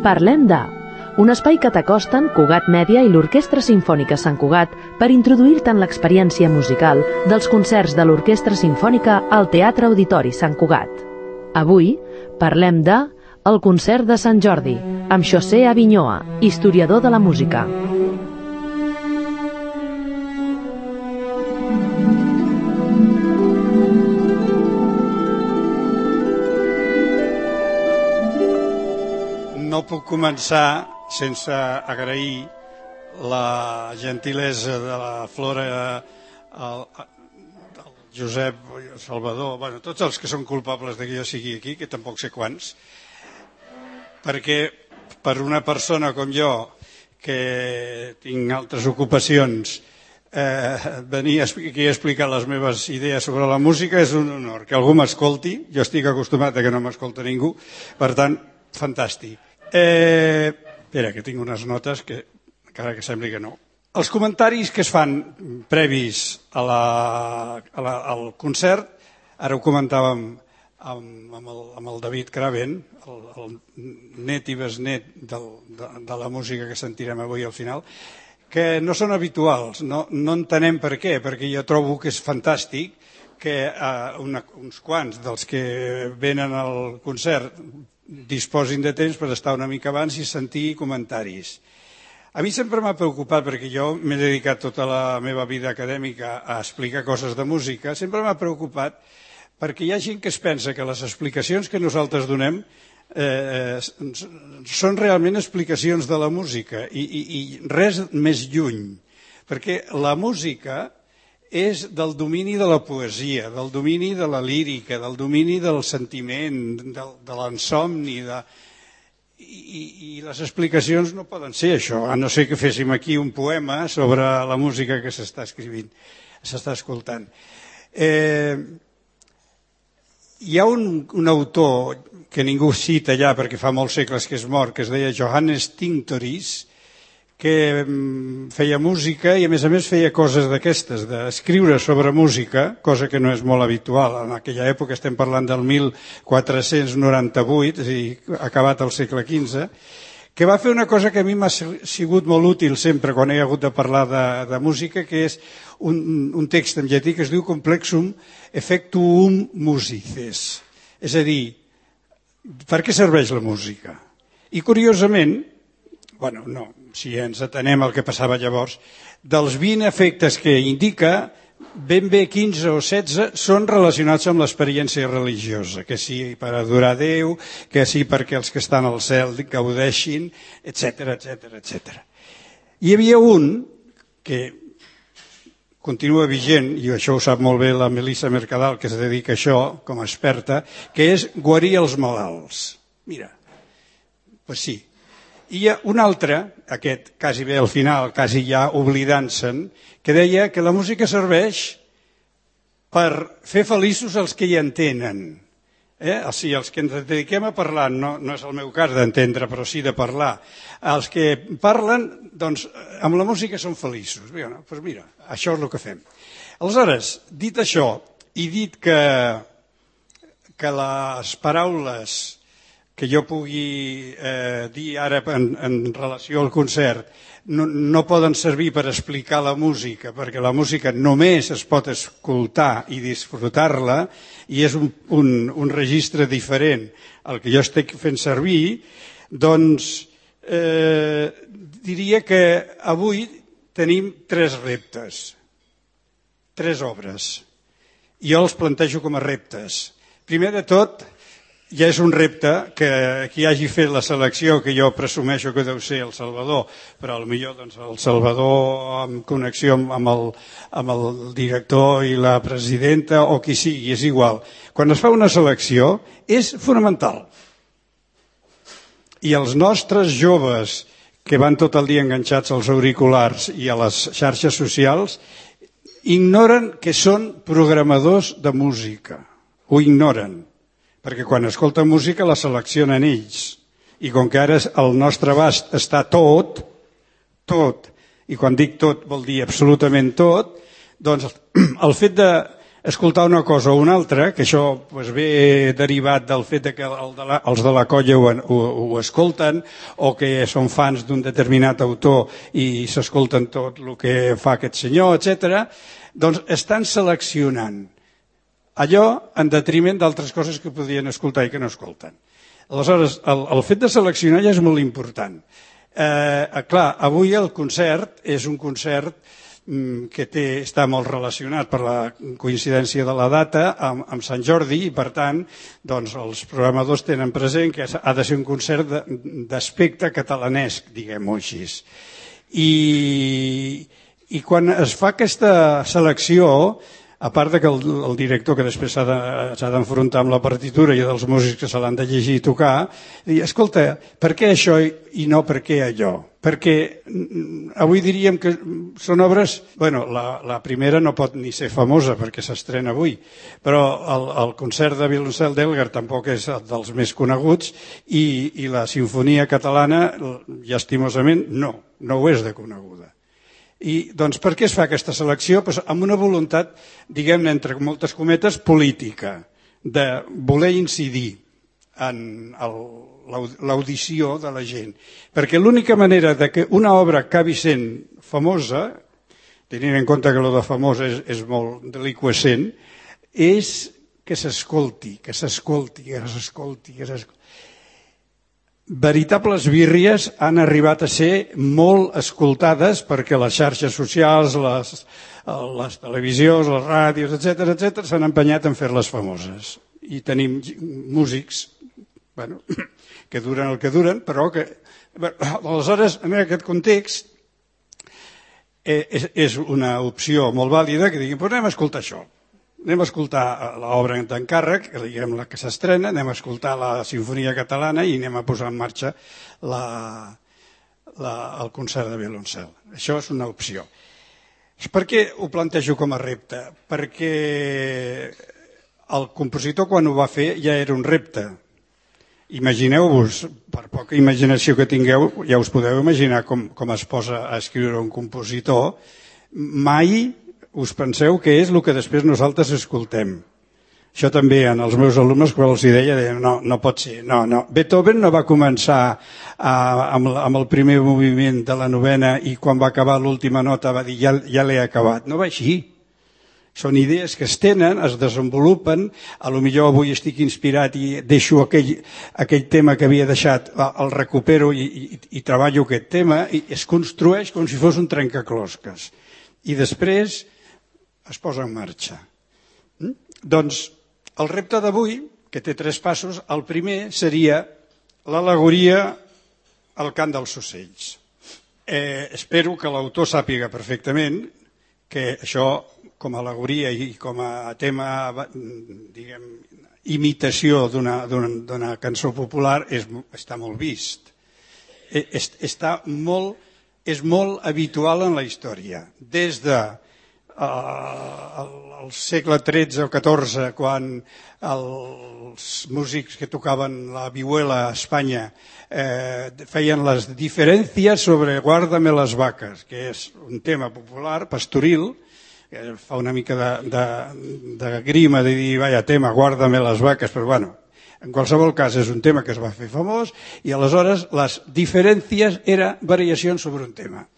Parlem de... un espai que t'acosten Cugat Mèdia i l'Orquestra Simfònica Sant Cugat per introduir-te en l'experiència musical dels concerts de l'Orquestra Simfònica al Teatre Auditori Sant Cugat. Avui parlem de el concert de Sant Jordi, amb José Avinyoa, historiador de la música. No puc començar sense agrair la gentilesa de la Flora, el Josep, el Salvador, bueno, tots els que són culpables de que jo sigui aquí, que tampoc sé quants, perquè per una persona com jo, que tinc altres ocupacions, venir aquí a explicar les meves idees sobre la música és un honor. Que algú m'escolti, jo estic acostumat a que no m'escolta ningú, per tant, fantàstic. Espera, que tinc unes notes que encara que sembli que no. Els comentaris que es fan previs al concert, ara ho comentàvem amb el David Craven, el net i besnet de la música que sentirem avui al final, que no són habituals, no entenem per què, perquè jo trobo que és fantàstic que uns quants dels que venen al concert disposin de temps per estar una mica abans i sentir comentaris. A mi sempre m'ha preocupat, perquè jo m'he dedicat tota la meva vida acadèmica a explicar coses de música, sempre m'ha preocupat perquè hi ha gent que es pensa que les explicacions que nosaltres donem són realment explicacions de la música i res més lluny, perquè la música és del domini de la poesia, del domini de la lírica, del domini del sentiment, de l'insomni, i les explicacions no poden ser això, a no ser que féssim aquí un poema sobre la música que s'està escrivint, s'està escoltant. Hi ha un autor que ningú cita ja perquè fa molts segles que és mort, que es deia Johannes Tinctoris, que feia música i a més feia coses d'aquestes, d'escriure sobre música, cosa que no és molt habitual. En aquella època estem parlant del 1498, és a dir, acabat el segle XV, que va fer una cosa que a mi m'ha sigut molt útil sempre quan he hagut de parlar de música, que és un text en llatí que es diu Complexum Effectuum Musices. És a dir, per què serveix la música? I curiosament, bueno, no, si ens atenem al que passava llavors, dels 20 efectes que indica, ben bé 15 o 16 són relacionats amb l'experiència religiosa, que sí per adorar Déu, que sí perquè els que estan al cel gaudeixin, etc. Hi havia un que continua vigent, i això ho sap molt bé la Melissa Mercadal, que es dedica a això com a experta, que és guarir els malalts. Mira, doncs sí. I hi ha un altre, aquest quasi bé al final, quasi ja oblidant-se'n, que deia que la música serveix per fer feliços els que hi entenen. O sigui, els que ens dediquem a parlar, no és el meu cas d'entendre, però sí de parlar. Els que parlen, doncs, amb la música són feliços. Doncs mira, això és el que fem. Aleshores, dit això, i dit que les paraules que jo pugui dir ara en relació al concert no poden servir per explicar la música, perquè la música només es pot escoltar i disfrutar-la, i és un registre diferent al que jo estic fent servir, doncs diria que avui tenim 3 reptes, 3 obres. Jo els plantejo com a reptes. Primer de tot, ja és un repte que qui hagi fet la selecció, que jo presumeixo que deu ser el Salvador, però potser doncs, el Salvador en connexió amb el director i la presidenta o qui sigui, és igual. Quan es fa una selecció és fonamental. I els nostres joves que van tot el dia enganxats als auriculars i a les xarxes socials ignoren que són programadors de música. Ho ignoren. Perquè quan escolten música la seleccionen ells. I com que ara al nostre abast està tot, i quan dic tot vol dir absolutament tot, doncs el fet escoltar una cosa o una altra, que això ve derivat del fet que els de la colla ho escolten o que són fans d'un determinat autor i s'escolten tot el que fa aquest senyor, etc. Doncs estan seleccionant allò en detriment d'altres coses que podrien escoltar i que no escolten. Aleshores, el fet de seleccionar ja és molt important. Clar, avui el concert és un concert que està molt relacionat per la coincidència de la data amb Sant Jordi i, per tant, doncs, els programadors tenen present que ha de ser un concert d'aspecte catalanesc, diguem-ho així. I quan es fa aquesta selecció, a part que el director, que després s'ha d'enfrontar amb la partitura i dels músics que se l'han de llegir i tocar, dir, escolta, per què això i no per què allò? Perquè avui diríem que són obres... Bueno, la primera no pot ni ser famosa perquè s'estrena avui, però el concert de violoncel d'Elgar tampoc és dels més coneguts i la sinfonia catalana, llastimosament, no ho és de coneguda. I doncs per què es fa aquesta selecció? Doncs amb una voluntat, diguem-ne, entre moltes cometes, política, de voler incidir en l'audició de la gent. Perquè l'única manera de que una obra acabi sent famosa, tenint en compte que allò de famosa és molt deliqüescent, és que s'escolti. Veritables birries han arribat a ser molt escoltades perquè les xarxes socials, les televisions, les ràdios, etc., s'han empenyat en fer-les famoses. I tenim músics que duren el que duren, però que... Aleshores, en aquest context, és una opció molt vàlida que diguin, anem a escoltar això. Anem a escoltar l'obra d'encàrrec, diguem la que s'estrena, anem a escoltar la Sinfonia Catalana i anem a posar en marxa el concert de violoncel. Això és una opció. Per què ho plantejo com a repte? Perquè el compositor, quan ho va fer, ja era un repte. Imagineu-vos, per poca imaginació que tingueu, ja us podeu imaginar com es posa a escriure un compositor. Mai us penseu que és el que després nosaltres escoltem. Això també en els meus alumnes, quan els deia, no pot ser. No. Beethoven no va començar amb el primer moviment de la novena i quan va acabar l'última nota va dir ja l'he acabat. No va així. Són idees que es tenen, es desenvolupen, potser avui estic inspirat i deixo aquell tema que havia deixat, el recupero i treballo aquest tema, i es construeix com si fos un trencaclosques. I després es posa en marxa. Doncs el repte d'avui, que té 3 passos, el primer seria l'al·legoria al cant dels ocells. Espero que l'autor sàpiga perfectament que això, com a al·legoria i com a tema, diguem, imitació d'una cançó popular, està molt vist. És molt habitual en la història. Des de al segle XIII o XIV, quan els músics que tocaven la vihuela a Espanya feien les diferències sobre Guárdame las vacas, que és un tema popular, pastoril, que fa una mica de grima de dir, vaya tema, Guárdame las vacas, però bueno, en qualsevol cas és un tema que es va fer famós i aleshores les diferències eren variacions sobre un tema.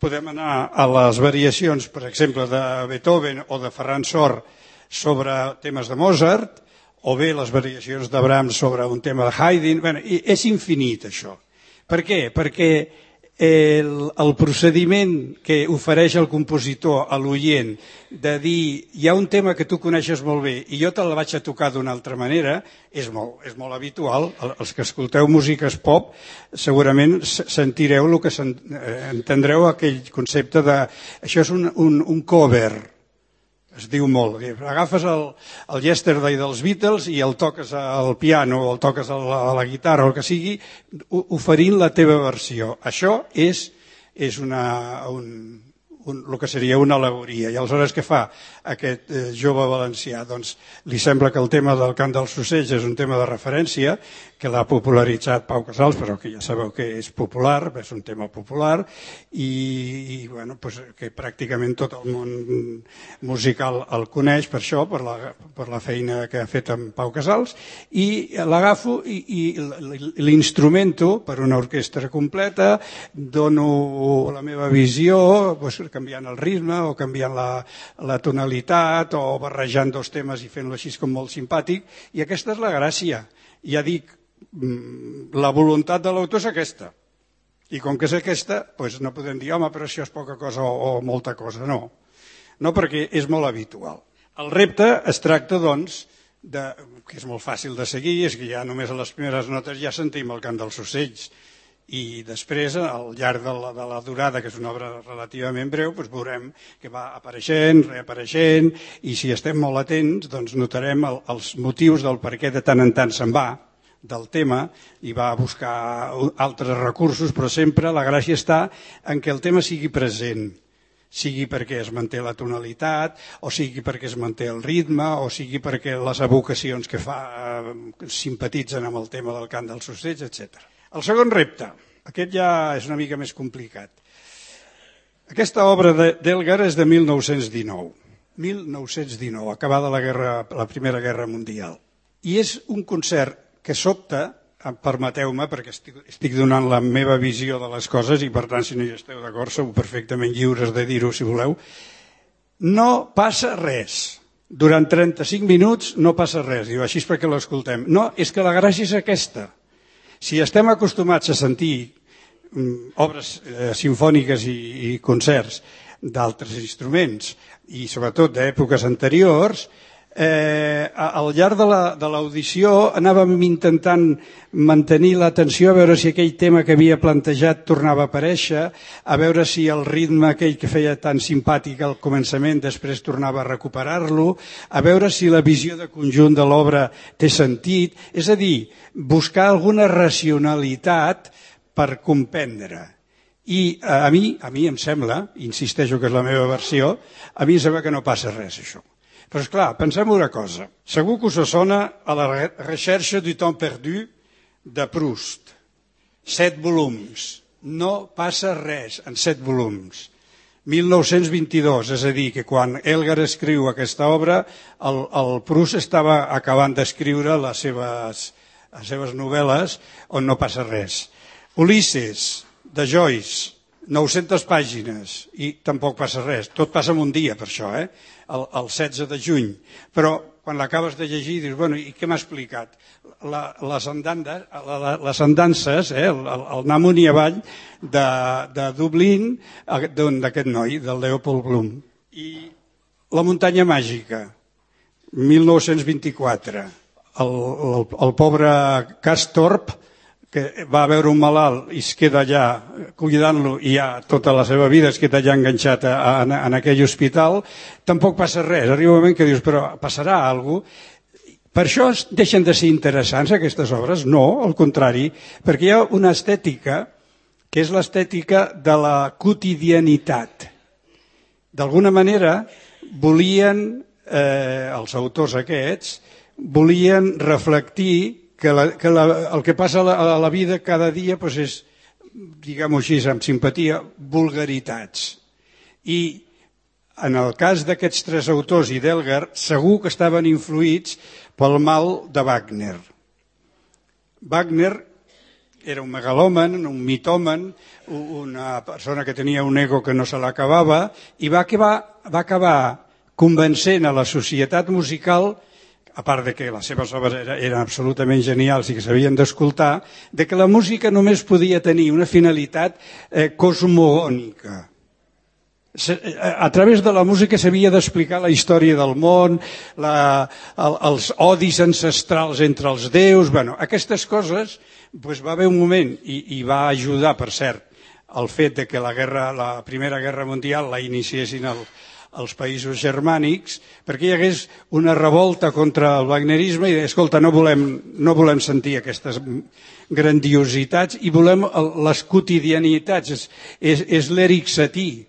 Podem anar a les variacions, per exemple, de Beethoven o de Ferran Sor sobre temes de Mozart, o bé les variacions de Brahms sobre un tema de Haydn. Bé, és infinit, això. Per què? Perquè el procediment que ofereix el compositor a l'oient de dir hi ha un tema que tu coneixes molt bé i jo te la vaig a tocar d'una altra manera és molt habitual. Els que escolteu músiques pop segurament sentireu el que entendreu aquell concepte de això és un cover. Es diu molt. Agafes el Yesterday dels Beatles i el toques al piano o el toques a la guitarra o el que sigui, oferint la teva versió. Això és el que seria una al·legoria. I aleshores què fa aquest jove valencià? Doncs li sembla que el tema del cant dels ocells és un tema de referència, que l'ha popularitzat Pau Casals, però que ja sabeu que és popular, és un tema popular, i bueno, pues, que pràcticament tot el món musical el coneix per això, per la feina que ha fet amb Pau Casals, i l'agafo i l'instrumento per una orquestra completa, dono la meva visió, pues, canviant el ritme o canviant la tonalitat o barrejant dos temes i fent-lo així com molt simpàtic, i aquesta és la gràcia. Ja dic, la voluntat de l'autor és aquesta, i com que és aquesta, doncs no podem dir, home, però això és poca cosa o molta cosa. No, perquè és molt habitual. El repte es tracta, doncs, que és molt fàcil de seguir, és que ja només a les primeres notes ja sentim el cant dels ocells, i després, al llarg de la durada, que és una obra relativament breu, doncs veurem que va apareixent, reapareixent, i si estem molt atents, doncs notarem els motius del per què de tant en tant se'n va del tema i va a buscar altres recursos, però sempre la gràcia està en que el tema sigui present, sigui perquè es manté la tonalitat, o sigui perquè es manté el ritme, o sigui perquè les evocacions que fa simpatitzen amb el tema del cant dels ocells, etc. El segon repte, aquest ja és una mica més complicat. Aquesta obra d'Elgar és de 1919, acabada la Primera Guerra Mundial, i és un concert que sobta, permeteu-me, perquè estic donant la meva visió de les coses i per tant si no hi esteu d'acord sou perfectament lliures de dir-ho si voleu, no passa res. Durant 35 minuts no passa res, diu, així és perquè l'escoltem. No, és que la gràcia és aquesta. Si estem acostumats a sentir obres simfòniques i concerts d'altres instruments i sobretot d'èpoques anteriors, al llarg de l'audició anàvem intentant mantenir l'atenció a veure si aquell tema que havia plantejat tornava a aparèixer, a veure si el ritme aquell que feia tan simpàtic al començament després tornava a recuperar-lo, a veure si la visió de conjunt de l'obra té sentit, és a dir, buscar alguna racionalitat per comprendre. I a mi em sembla, insisteixo que és la meva versió, a mi em sembla que no passa res això. Però esclar, pensem una cosa. Segur que us sona a la recherche du temps perdu de Proust. 7 volums. No passa res en 7 volums. 1922, és a dir, que quan Elgar escriu aquesta obra, el Proust estava acabant d'escriure les seves novel·les on no passa res. Ulisses, de Joyce, 900 pàgines, i tampoc passa res. Tot passa en un dia, per això, el 16 de juny. Però quan l'acabes de llegir dius, bueno, i què m'ha explicat? Les andances, el anar amunt i avall de Dublín, d'aquest noi, del Leopold Bloom. I La muntanya màgica, 1924. El pobre Castorp, que va veure un malalt i es queda allà cuidant-lo i ja tota la seva vida es queda allà enganxat en aquell hospital, tampoc passa res. Arriba un moment que dius, però passarà alguna cosa? Per això deixen de ser interessants aquestes obres? No, al contrari, perquè hi ha una estètica que és l'estètica de la quotidianitat. D'alguna manera volien, els autors aquests, volien reflectir que el que passa a la vida cada dia és, diguem-ho així, amb simpatia, vulgaritats. I en el cas d'aquests 3 autors i d'Elgar, segur que estaven influïts pel mal de Wagner. Wagner era un megalòman, un mitòman, una persona que tenia un ego que no se l'acabava i va acabar convencent a la societat musical, a part de que les seves obres eren absolutament genials i que s'havien d'escoltar, de que la música només podia tenir una finalitat cosmogònica. A través de la música s'havia d'explicar la història del món, els odis ancestrals entre els déus, aquestes coses, va haver un moment, i va ajudar, per cert, el fet que la Primera Guerra Mundial la iniciessin als països germànics, perquè hi hagués una revolta contra el wagnerisme i escolta, no volem sentir aquestes grandiositats i volem les quotidianitats. És l'Eric Satie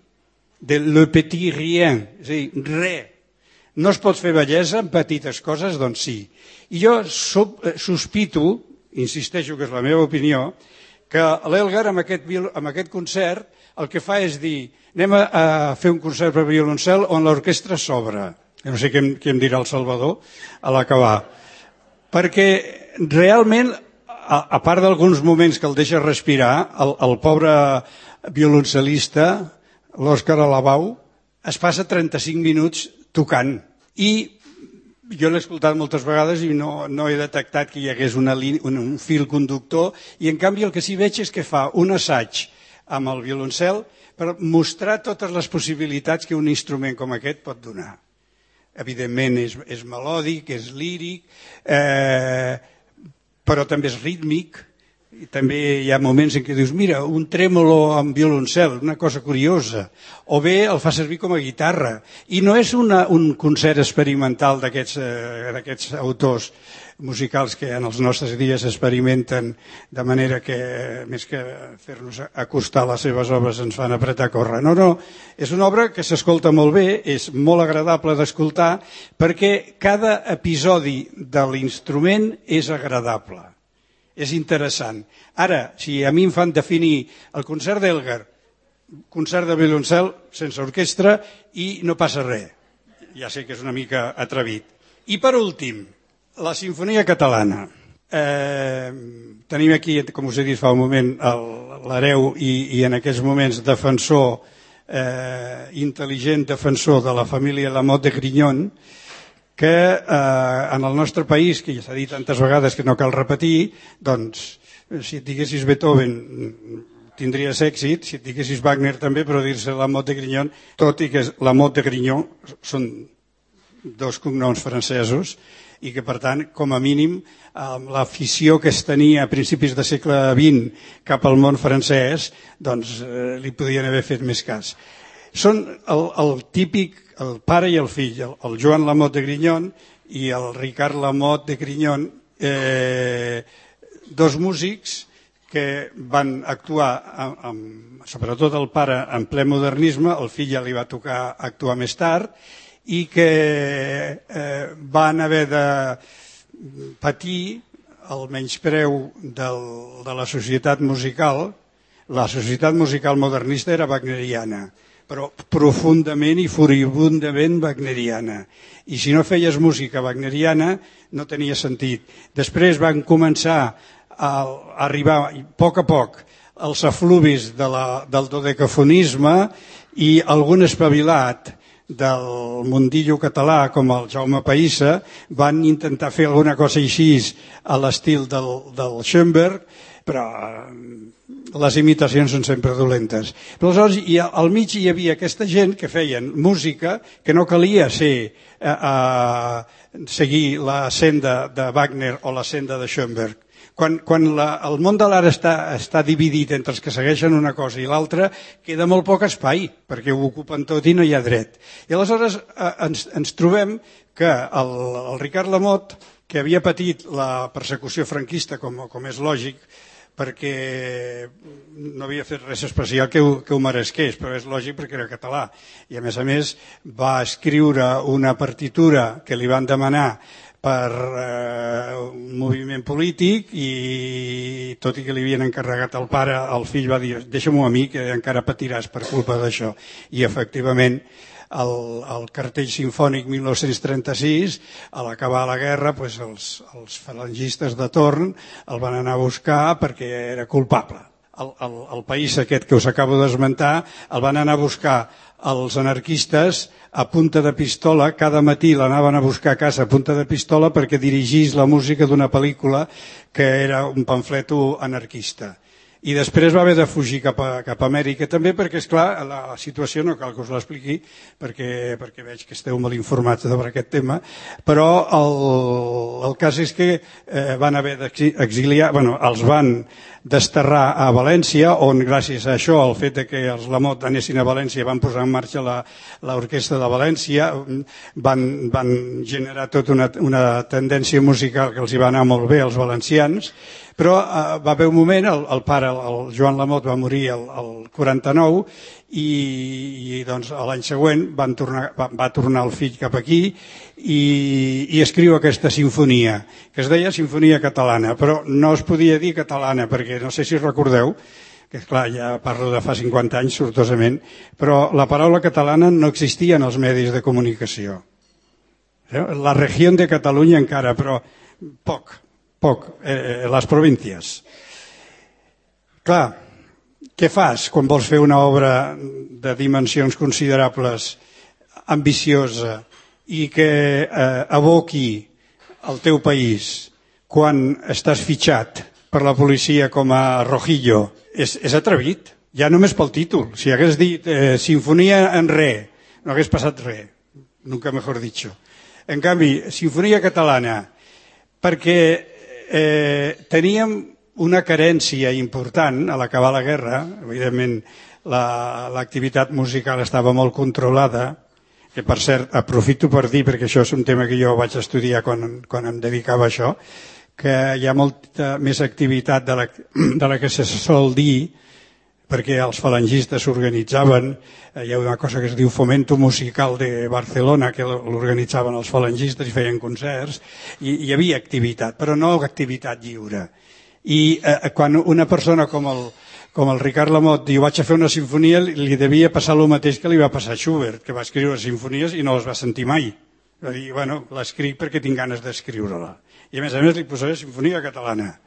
de le petit rien, és a dir, res. No es pot fer bellesa en petites coses? Doncs sí. I jo sospito, insisteixo que és la meva opinió, que l'Elgar amb aquest concert el que fa és dir anem a fer un concert per violoncel on l'orquestra s'obre. No sé què em dirà el Salvador a l'acabar. Perquè realment, a part d'alguns moments que el deixa respirar, el pobre violoncel·lista, l'Òscar Alabau, es passa 35 minuts tocant. I jo l'he escoltat moltes vegades i no he detectat que hi hagués un fil conductor, i en canvi el que sí veig és que fa un assaig amb el violoncel per mostrar totes les possibilitats que un instrument com aquest pot donar. Evidentment és melòdic, és líric, però també és rítmic, i també hi ha moments en què dius mira, un trèmolo amb violoncel, una cosa curiosa, o bé el fa servir com a guitarra, i no és un concert experimental d'aquests autors musicals que en els nostres dies experimenten de manera que més que fer-nos acostar les seves obres ens fan apretar a córrer. No, és una obra que s'escolta molt bé, és molt agradable d'escoltar perquè cada episodi de l'instrument és agradable. És interessant. Ara, si a mi em fan definir el concert d'Elgar, concert de violoncel sense orquestra i no passa res. Ja sé que és una mica atrevit. I per últim, la Simfonia Catalana. Tenim aquí, com us he dit fa un moment, l'hereu i en aquests moments defensor, intel·ligent defensor de la família Lamotte de Grignon, que en el nostre país, que ja s'ha dit tantes vegades que no cal repetir, doncs, si et diguessis Beethoven tindries èxit, si et diguessis Wagner també, però dir-se Lamotte de Grignon, tot i que Lamotte de Grignon són dos cognoms francesos, i que per tant, com a mínim, l'afició que es tenia a principis del segle XX cap al món francès, doncs li podien haver fet més cas. Són el típic, el pare i el fill, el Joan Lamotte de Grignon i el Ricard Lamotte de Grignon, dos músics que van actuar, sobretot el pare, en ple modernisme, el fill ja li va tocar actuar més tard, i que van haver de patir el menyspreu de la societat musical. La societat musical modernista era wagneriana, però profundament i furibundament wagneriana. I si no feies música wagneriana no tenia sentit. Després van començar a arribar a poc els efluvis del dodecafonisme, i algun espavilat del mundillo català com el Jaume Païssa van intentar fer alguna cosa així a l'estil del Schoenberg, però les imitacions són sempre dolentes. Però aleshores al mig hi havia aquesta gent que feien música que no calia seguir la senda de Wagner o la senda de Schoenberg. Quan el món de l'art està dividit entre els que segueixen una cosa i l'altra, queda molt poc espai, perquè ho ocupen tot i no hi ha dret. I aleshores ens trobem que el Ricard Lamotte, que havia patit la persecució franquista, com és lògic, perquè no havia fet res especial que ho meresqués, però és lògic perquè era català. I a més va escriure una partitura que li van demanar per un moviment polític, i tot i que li havien encarregat al pare, el fill va dir deixa-m'ho a mi que encara patiràs per culpa d'això. I efectivament el cartell sinfònic 1936, a l'acabar la guerra, els falangistes de torn el van anar a buscar perquè era culpable. El país aquest que us acabo d'esmentar el van anar a buscar els anarquistes a punta de pistola, cada matí l'anaven a buscar a casa a punta de pistola perquè dirigís la música d'una pel·lícula que era un pamfleto anarquista. I després va haver de fugir cap a Amèrica també perquè, esclar, la situació no cal que us l'expliqui perquè veig que esteu molt informats sobre aquest tema, però el cas és que van haver d'exiliar, els van desterrar a València, on gràcies a això, el fet que els Lamotte anessin a València, van posar en marxa l'orquestra de València, van generar tota una tendència musical que els hi va anar molt bé als valencians, però va haver un moment, el pare, el Joan Lamot va morir el 49 i doncs l'any següent va tornar el fill cap aquí i escriu aquesta sinfonia, que es deia Sinfonia Catalana, però no es podia dir catalana perquè no sé si recordeu, que clar, ja parlo de fa 50 anys sortosament, però la paraula catalana no existia en els medis de comunicació. La regió de Catalunya encara, però poc, les províncies. Clar, què fas quan vols fer una obra de dimensions considerables, ambiciosa, i que aboqui el teu país quan estàs fitxat per la policia com a rojillo? És atrevit, ja només pel títol. Si hagués dit Sinfonia en re, no hagués passat res, nunca mejor dicho. En canvi, Sinfonia Catalana, perquè teníem una carència important a l'acabar la guerra, evidentment l'activitat musical estava molt controlada, que per cert aprofito per dir, perquè això és un tema que jo vaig estudiar quan em dedicava a això, que hi ha molta més activitat de la que se sol dir, perquè els falangistes s'organitzaven, hi ha una cosa que es diu Fomento Musical de Barcelona, que l'organitzaven els falangistes i feien concerts, i hi havia activitat, però no activitat lliure. I quan una persona com el Ricard Lamot diu vaig a fer una sinfonia, li devia passar el mateix que li va passar a Schubert, que va escriure sinfonies i no les va sentir mai. Va dir, bueno, l'escric perquè tinc ganes d'escriure-la. I a més li posaré Sinfonia Catalana.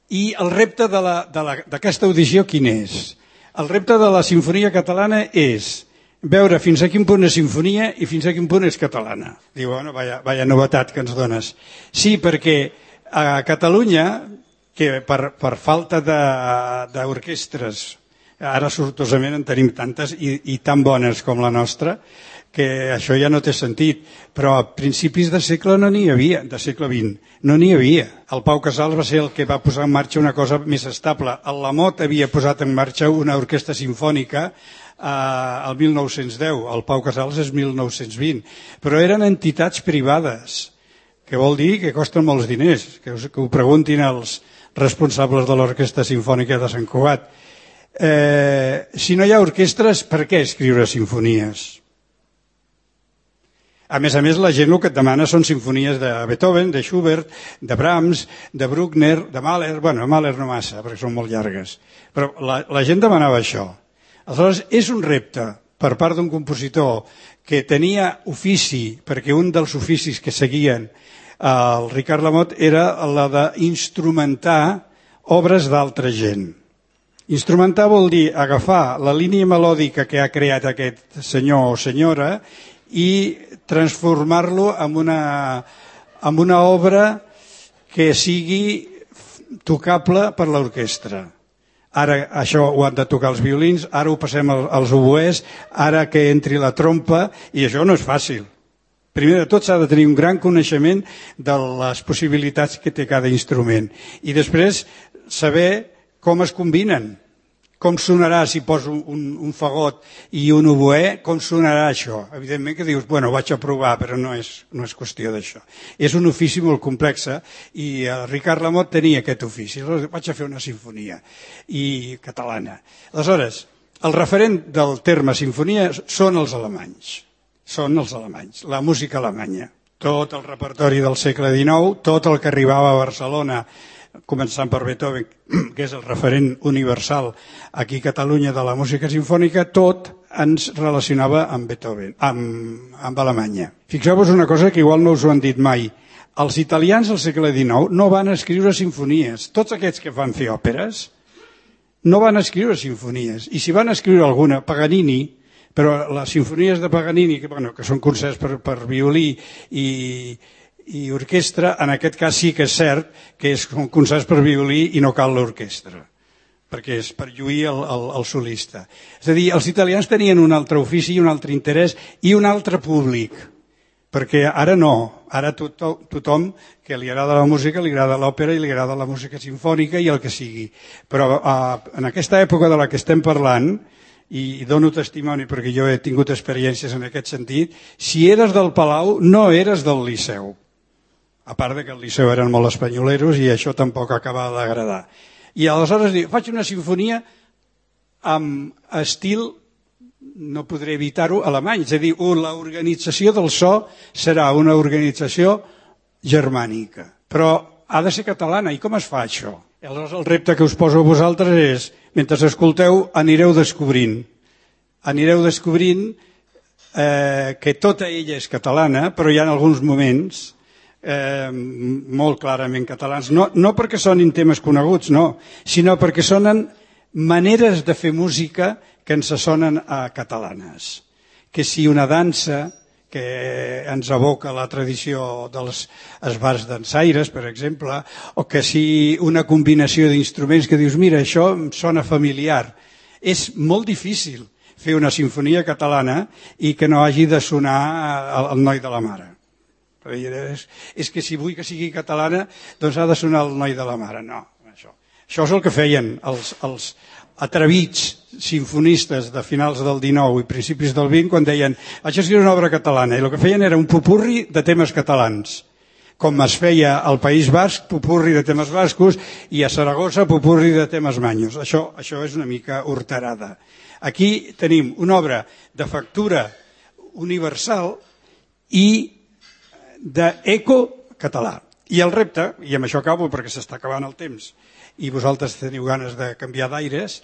I el repte d'aquesta audició quin és? El repte de la Sinfonia Catalana és veure fins a quin punt és sinfonia i fins a quin punt és catalana. Diu, bueno, vaya novetat que ens dones. Sí, perquè a Catalunya, que per falta d'orquestres, ara sortosament en tenim tantes i tan bones com la nostra, que això ja no té sentit, però a principis de segle no n'hi havia, de segle XX, no n'hi havia. El Pau Casals va ser el que va posar en marxa una cosa més estable. El Lamot havia posat en marxa una orquestra sinfònica el 1910, el Pau Casals és 1920, però eren entitats privades, que vol dir que costen molts diners, que ho preguntin els responsables de l'Orquestra Sinfònica de Sant Cugat. Si no hi ha orquestres, per què escriure sinfonies? A més, la gent el que et demana són sinfonies de Beethoven, de Schubert, de Brahms, de Bruckner, de Mahler. Bueno, Mahler no massa, perquè són molt llargues. Però la gent demanava això. Aleshores, és un repte per part d'un compositor que tenia ofici, perquè un dels oficis que seguien el Ricard Lamot era la d'instrumentar obres d'altra gent. Instrumentar vol dir agafar la línia melòdica que ha creat aquest senyor o senyora i transformar-lo en una obra que sigui tocable per l'orquestra. Ara això ho han de tocar els violins, ara ho passem als oboès, ara que entri la trompa, i això no és fàcil. Primer de tot s'ha de tenir un gran coneixement de les possibilitats que té cada instrument i després saber com es combinen. Com sonarà si poso un fagot i un oboè, com sonarà això? Evidentment que dius, bueno, vaig a provar, però no és qüestió d'això. És un ofici molt complex i el Ricard Lamot tenia aquest ofici. Aleshores vaig a fer una sinfonia catalana. Aleshores, el referent del terme sinfonia són els alemanys. Són els alemanys, la música alemanya. Tot el repertori del segle XIX, tot el que arribava a Barcelona, començant per Beethoven, que és el referent universal aquí a Catalunya de la música sinfònica, tot ens relacionava amb Beethoven, amb Alemanya. Fixeu-vos una cosa que igual no us ho han dit mai. Els italians al segle XIX no van escriure sinfonies. Tots aquests que van fer òperes no van escriure sinfonies. I si van escriure alguna, Paganini, però les sinfonies de Paganini, que són concerts per violí i orquestra, en aquest cas sí que és cert que són concerts per violí i no cal l'orquestra, perquè és per lluir el solista. És a dir, els italians tenien un altre ofici i un altre interès i un altre públic, perquè ara no, ara tothom que li agrada la música, li agrada l'òpera i li agrada la música sinfònica i el que sigui. Però en aquesta època de la que estem parlant, i dono testimoni perquè jo he tingut experiències en aquest sentit, si eres del Palau no eres del Liceu. A part que el Liceu eren molt espanyoleros i això tampoc acaba d'agradar. I aleshores diu, faig una sinfonia amb estil, no podré evitar-ho, alemany. És a dir, l'organització del so serà una organització germànica, però ha de ser catalana. I com es fa això? Aleshores el repte que us poso a vosaltres és, mentre escolteu, anireu descobrint que tota ella és catalana, però hi ha alguns moments molt clarament catalans, no perquè sonin temes coneguts, no, sinó perquè sonen maneres de fer música que ens sonen a catalanes. Que si una dansa que ens evoca la tradició dels esbarts dansaires, per exemple, o que si una combinació d'instruments que dius, mira, això em sona familiar. És molt difícil fer una sinfonia catalana i que no hagi de sonar el noi de la mare. És que si vull que sigui catalana, doncs ha de sonar el noi de la mare. No, això és el que feien els atrevits sinfonistes de finals del XIX i principis del XX quan deien, això és una obra catalana, i el que feien era un popurri de temes catalans, com es feia al País Basc, popurri de temes bascos, i a Saragossa, popurri de temes manyos. Això és una mica horterada. Aquí tenim una obra de factura universal i d'eco català. I el repte, i amb això acabo perquè s'està acabant el temps i vosaltres teniu ganes de canviar d'aires,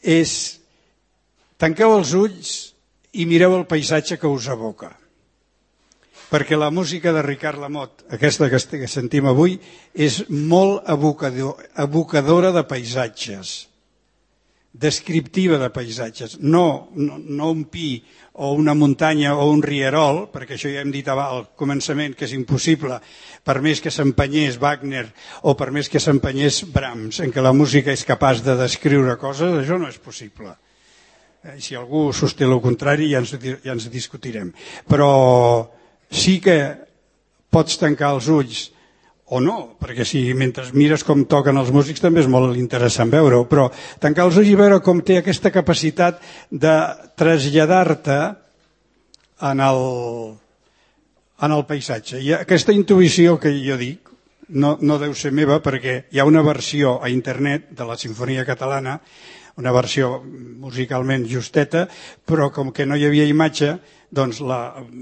és tanqueu els ulls i mireu el paisatge que us evoca. Perquè la música de Ricard Lamotte, aquesta que sentim avui, és molt evocadora de paisatges, descriptiva de paisatges, no un pi o una muntanya o un rierol, perquè això ja hem dit al començament que és impossible, per més que s'empenyés Wagner o per més que s'empenyés Brahms, en què la música és capaç de descriure coses, això no és possible. Si algú sosté el contrari ja ens discutirem. Però sí que pots tancar els ulls o no, perquè si mentre mires com toquen els músics també és molt interessant veure-ho, però tancar els ulls i veure com té aquesta capacitat de traslladar-te en el paisatge. I aquesta intuïció que jo dic no deu ser meva perquè hi ha una versió a internet de la Sinfonia Catalana, una versió musicalment justeta, però com que no hi havia imatge, doncs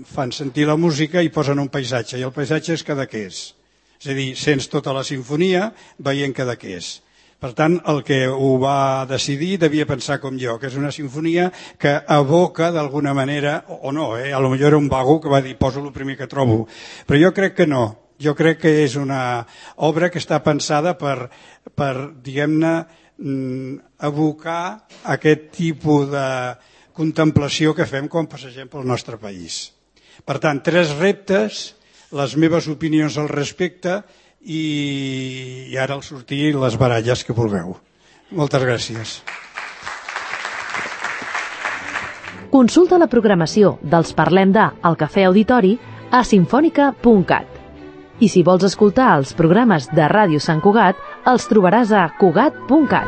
fan sentir la música i posen un paisatge, i el paisatge és Cadaqués. És a dir, sents tota la sinfonia veient Cadaqués. Per tant, el que ho va decidir devia pensar com jo, que és una sinfonia que evoca d'alguna manera, o no, potser era un vago que va dir poso el primer que trobo, però jo crec que no. Jo crec que és una obra que està pensada per diguem-ne, evocar aquest tipus de contemplació que fem quan passegem pel nostre país. Per tant, 3 reptes, les meves opinions al respecte i ara al sortir les baralles que vulgueu. Moltes gràcies. Consulta la programació dels Parlem de al Cafè Auditori a sinfònica.cat. I si vols escoltar els programes de Ràdio Sant Cugat, els trobaràs a cugat.cat.